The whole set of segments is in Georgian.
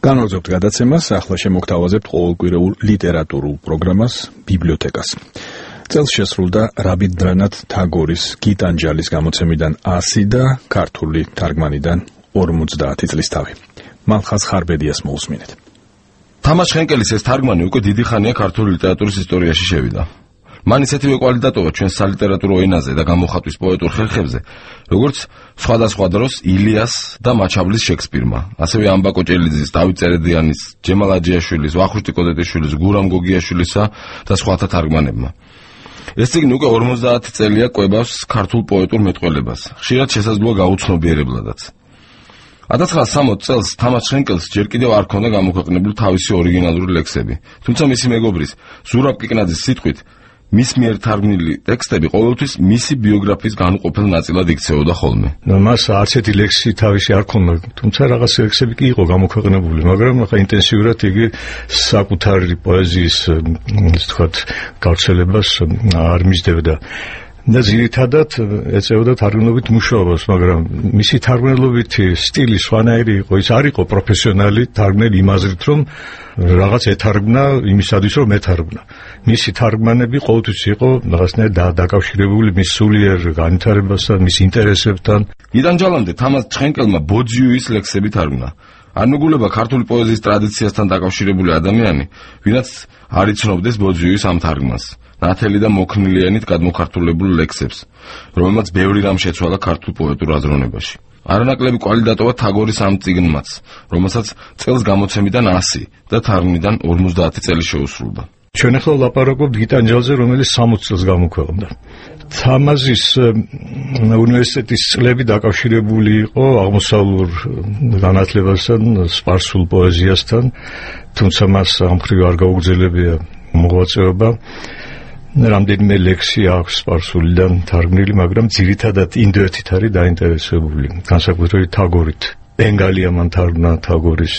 განვაგრძობთ გადაცემას, ახლა შემოგთავაზებთ ყოველკვირეულ ლიტერატურულ პროგრამას ბიბლიოთეკას. წელს შესრულდა რაბინდრანათ თაგორის გიტანჯალის გამოცემიდან 100 და ქართული თარგმანიდან 50 წლის თავი. მალხაზ ხარბედიას მოусმინეთ. თამაშ ხენკელის ეს თარგმანი უკვე დიდი ხანია ქართული ლიტერატურის ისტორიაში შევიდა. მან ისეთივე კვალიტატოვა ჩვენს სალიტერატურო ენაზე და გამოხატვის პოეტურ ხერხებზე, როგორც სხვადასხვა დროს ილიას და მაჩაბლის შექსპირმა, ასევე ამბა კოჭელიძის, დავით წერედიანის, ჯემალ აჯიაშვილის, ვახუშტი კოდეტიშვილის, გურამ გოგიაშვილისა და სხვათა თარგმანებმა. ეს წიგნი უკვე 50 წელია კვებავს ქართულ პოეტურ მეტყველებას, ხშირად შესაძლოა გაუცნობიერებლადაც. 1960 წელს თამაშ ხენკელს ჯერ კიდევ არ ჰქონდა გამოქვეყნებული თავისი ორიგინალური ლექსები, თუმცა მისი მეგობრის ზურაბ კიკნაძის სიტყვით მის მიერ თარგმნილი ტექსტები ყოველთვის მისი ბიოგრაფიის განუყოფელ ნაწილად იქცეოდა ხოლმე. მას არც ერთი ლექსი თავისი არ ჰქონდა, თუმცა რაღაც ლექსები კი იყო გამოქვეყნებული, მაგრამ ახლა ინტენსიურად იგი საკუთარი პოეზიის, ისე ვთქვათ, გავრცელებას არ მისდევდა. და ძირითადად ეწეოდა თარგმნობით მუშაობას, მაგრამ მისი თარგმნელობითი სტილი სხვანაირი იყო, ის არ იყო პროფესიონალი თარგმნელი იმაზრით, რომ რაღაც ეთარგმნა იმისათვის, რომ ეთარგმნა. მისი თარგმანები ყოველთვის იყო რაღაცნაირად დაკავშირებული მის სულიერ განვითარებასთან, მის ინტერესებთან. იდანჯალამდე თამაშ ხენკელმა ბოძიუის ლექსები თარგმნა. არ მეგულება ქართული პოეზიის ტრადიციასთან დაკავშირებული ადამიანი, ვინაც არ იცნობდეს ბოძიუის ამ თარგმანს. ნათელი და მოქნილიანით გადმოქართულებულ ლექსებს, რომელმაც ბევრი რამ შეცვალა ქართულ პოეტურ აზროვნებაში. არანაკლები კვალიტატოვა თაგორის ამ წიგნმაც, რომელსაც წელს გამოცემიდან 100 და თარგმნიდან 50 წელი შეუსრულდა. ჩვენ ახლა ვლაპარაკობთ გიტანჯალზე, რომელიც 60 წელს გამოქვეყნდა. თამაზის უნივერსიტეტის წლები დაკავშირებული იყო აღმოსავლურ განათლებასთან, სპარსულ პოეზიასთან, თუმცა მას ამ მხრივ არ გაუგრძელებია მოღვაწეობა. რამდენიმე ლექსი აქვს სპარსულიდან თარგმნილი, მაგრამ ძირითადად ინდოეთით არის დაინტერესებული, განსაკუთრებით თაგორით. ბენგალია მან თარგმნა თაგორის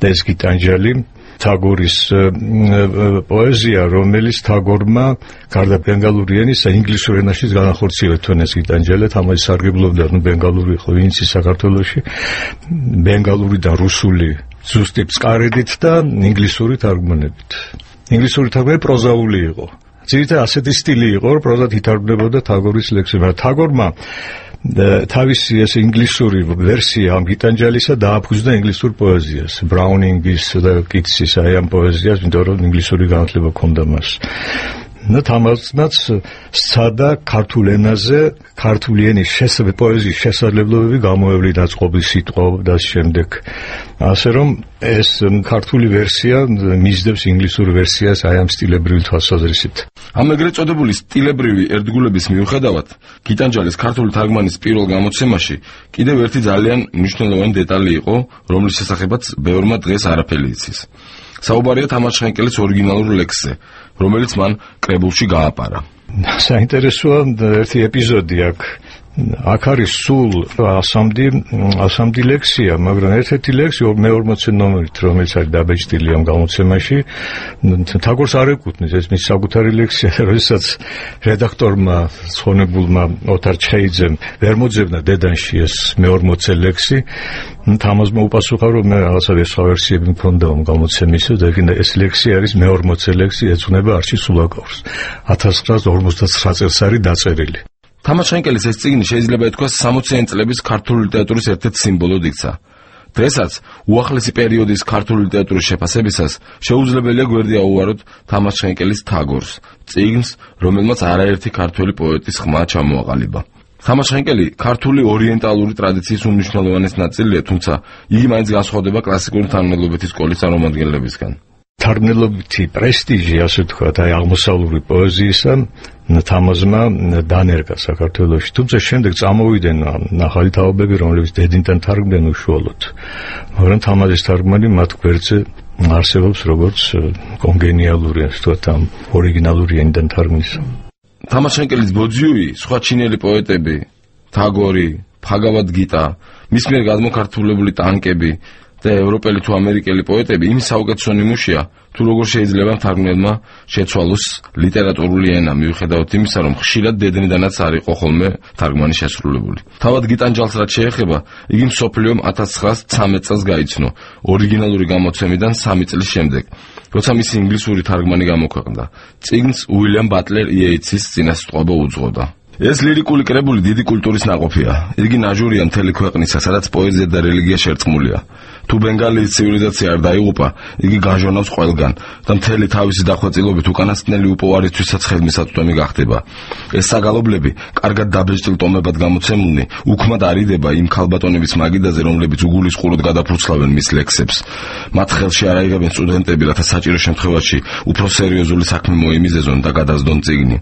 და ეს გიტანჯალი, თაგორის პოეზია, რომელიც თაგორმა გარდა ბენგალური ენისა ინგლისურ ენაშიც განახორციელა ეს გიტანჯალი, თამაში სარგებლობდა ბენგალური ღვინიცი საქართველოში, ბენგალური და რუსული ზუსტი წყარედით და ინგლისური თარგმანებით. ინგლისური თარგმანი პროზაული იყო. ძირითადად ასეთი სტილი იყო, რომ პროზად ითარგმნებოდა თაგორის ლექსები. თაგორმა თავისი ეს ინგლისური ვერსია ამ გიტანჯალისა დააფუძნა ინგლისურ პოეზიას, ბრაუნინგის და კიტსის აი ამ პოეზიას, იმიტომ რომ ინგლისური განათლება ჰქონდა მას. და თამაზმაც სცადა ქართულ ენაზე ქართული ენის პოეზიის შესაძლებლობები გამოევლინა წყობის სიტყვა და შემდეგ. ასე რომ ეს ქართული ვერსია მისდევს ინგლისურ ვერსიას აი ამ სტილებრივი თვალსაზრისით. ამ ეგრეთ წოდებული სტილებრივი ერთგულების მიუხედავად, გიტანჯალის ქართული თარგმანის პირველ გამოცემაში კიდევ ერთი ძალიან მნიშვნელოვანი დეტალი იყო, რომლის შესახებაც ბევრმა დღეს არაფერი იცის. საუბარია თამაშ ხენკელის ორიგინალურ ლექსზე, რომელიც მან კრებულში გააპარა. საინტერესოა ერთი ეპიზოდი აქ. აქ არის სულ 100 ლექსია, მაგრამ ერთ-ერთი ლექსი მე-40 ნომერით, რომელიც არის დაბეჭდილი ამ გამოცემაში, თაგორს არ ეკუთვნის, ეს მის საკუთარი ლექსია, როდესაც რედაქტორმა ცხონებულმა ოთარ ჩხეიძემ ვერ მოძებნა დედანში ეს მე-40 ლექსი, თამაზმა უპასუხა, რომ მე რაღაცა სხვა ვერსიები მქონდა ამ გამოცემისა და ეს ლექსი არის მე-40 ლექსი, ეძღვნება არჩი სულაკაურს. 1959 წელს არის დაწერილი. თამაშ ხენკელის ეს წიგნი შეიძლება ითქვას 60-იანი წლების ქართული ლიტერატურის ერთ-ერთ სიმბოლოდ იქცა. დღესაც უახლესი პერიოდის ქართული ლიტერატურის შეფასებისას შეუძლებელია გვერდი აუვაროთ თამაშ ხენკელის თაგორს, წიგნს, რომელმაც არაერთი ქართველი პოეტის ხმა ჩამოაყალიბა. თამაშ ხენკელი ქართული ორიენტალური ტრადიციის უმნიშვნელოვანეს ნაწილია, თუმცა იგი მაინც განსხვავდება კლასიკური თარგმნელობითი სკოლის წარმომადგენლებისგან. თარგმნელობითი პრესტიჟი, ასე ვთქვათ, აი აღმოსავლური პოეზიისა თამაზმა დანერგა საქართველოში, თუმცა შემდეგ წამოვიდნენ ახალი თაობები, რომლებიც დედინთან თარგმდნენ უშუალოდ. მაგრამ თამაზის თარგმანი მათ გვერდზე არსებობს როგორც კონგენიალური, ასე ვთქვათ, ამ ორიგინალური ენიდან თარგმნის. თამაშ ხენკელის ბოძიუი, სხვა ჩინელი პოეტები, თაგორი, ფაგავად გიტა, მის მიერ გადმოქართულებული ტანკები და ევროპელი თუ ამერიკელი პოეტები იმ საუკეთესო ნიმუშია, თუ როგორ შეიძლება მთარგმნელმა შეცვალოს ლიტერატურული ენა, მიუხედავად იმისა, რომ ხშირად დედნიდანაც არ იყო ხოლმე თარგმანი შესრულებული. თავად გიტანჯალს რაც შეეხება, იგი მსოფლიომ 1913 წელს გაიცნო, ორიგინალური გამოცემიდან 3 წლის შემდეგ, როცა მისი ინგლისური თარგმანი გამოქვეყნდა. წიგნს უილიამ ბატლერ იეიცის წინასწყვეტობა უძღოდა. ეს ლირიკული კრებული დიდი კულტურის ნაყოფია. იგი ნაჟურია მთელი ქვეყნისა, სადაც პოეზია და რელიგია შერწყმულია. თუ ბენგალიის ცივილიზაცია არ დაიღუპა, იგი გაჟონავს ყველგან და მთელი თავისი დახვეწილობით უკანასკნელი უპოვარისთვისაც ხელმისაწვდომი გახდება. ეს საგალობლები, კარგად დაბეჭდილ ტომებად გამოცემულნი, უქმად არიდება იმ ქალბატონების მაგიდაზე, რომლებიც უგულისხმურად გადაფურცლავენ მის ლექსებს. მათ ხელში არ აიღებენ სტუდენტები, რათა საჭირო შემთხვევაში უფრო სერიოზული საქმე მოიმიზეზონ და გადასდონ წიგნი.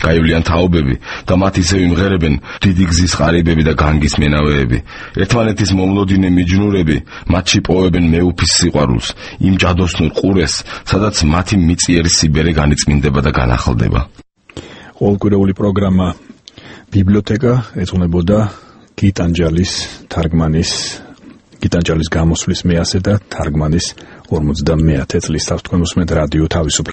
გაივლიან თაობები და მათ ისევ იმღერებენ დიდი გზის ღარიბები და განგის მენავეები. ერთმანეთის მომლოდინე მიჯნურები მათში პოევენ მეუფის სიყვარულს, იმ ჯადოსნურ ყურეს, სადაც მათი მიწიერი სიბერე განიწმინდება და განახლდება. ყოველკვირეული პროგრამა ბიბლიოთეკა ეძღვნებოდა გიტანჯალის თარგმანის, გიტანჯალის გამოსვლის 100 და თარგმანის 50 წლის თავს თქვენ უსმენთ რადიო თავისუფლება.